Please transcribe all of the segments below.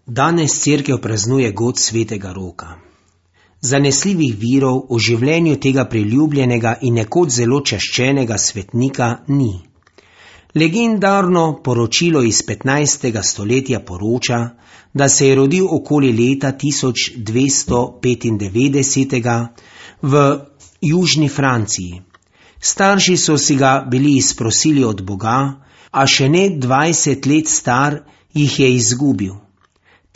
Danes cerkev praznuje god svetega Roka. Zanesljivih virov o življenju tega priljubljenega in nekoč zelo čaščenega svetnika ni. Legendarno poročilo iz 15. stoletja poroča, da se je rodil okoli leta 1295 v južni Franciji. Starši so si ga bili izprosili od Boga, a še ne 20 let star jih je izgubil.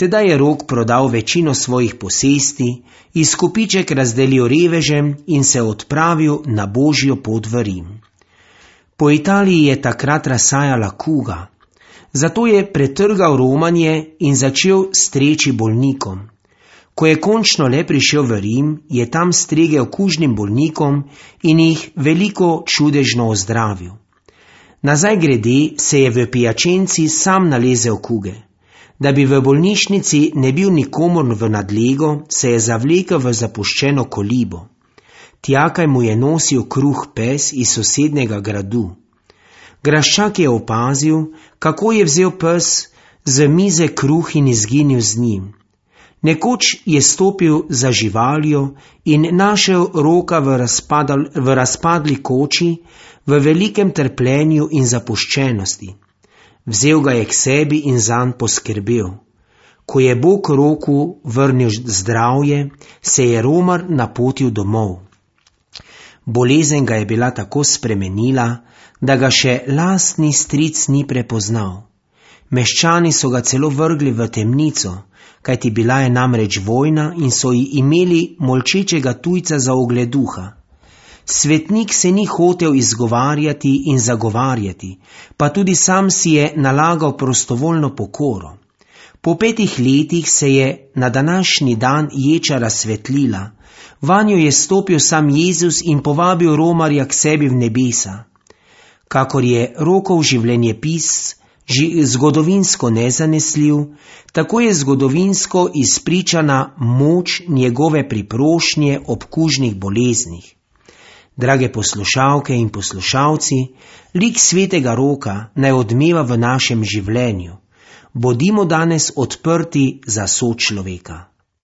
Teda je Rok prodal večino svojih posesti, izkupiček razdelil revežem in se odpravil na božjo pot v Rim. Po Italiji je takrat razsajala kuga, zato je pretrgal romanje in začel streči bolnikom. Ko je končno le prišel v Rim, je tam stregel kužnim bolnikom in jih veliko čudežno ozdravil. Nazaj grede se je v Piačenci sam nalezel kuge. Da bi v bolnišnici ne bil nikomor v nadlego, se je zavlekel v zapuščeno kolibo. Tjakaj mu je nosil kruh pes iz sosednjega gradu. Graščak je opazil, kako je vzel pes z mize kruh in izginil z njim. Nekoč je stopil za živaljo in našel Roka v razpadli koči, v velikem trpljenju in zapuščenosti. Vzel ga je k sebi in zanj poskrbel. Ko je Bog Roku vrnil zdravje, se je Romar napotil domov. Bolezen ga je bila tako spremenila, da ga še lastni stric ni prepoznal. Meščani so ga celo vrgli v temnico, kajti bila je namreč vojna in so ji imeli molčečega tujca za ogleduha. Svetnik se ni hotel izgovarjati in zagovarjati, pa tudi sam si je nalagal prostovoljno pokoro. Po 5 letih se je na današnji dan ječa razsvetlila, vanjo je stopil sam Jezus in povabil Romarja k sebi v nebesa. Kakor je Rokov življenjepis zgodovinsko nezanesljiv, tako je zgodovinsko izpričana moč njegove priprošnje ob kužnih boleznih. Drage poslušalke in poslušalci, lik svetega Roka naj odmeva v našem življenju. Bodimo danes odprti za sočloveka.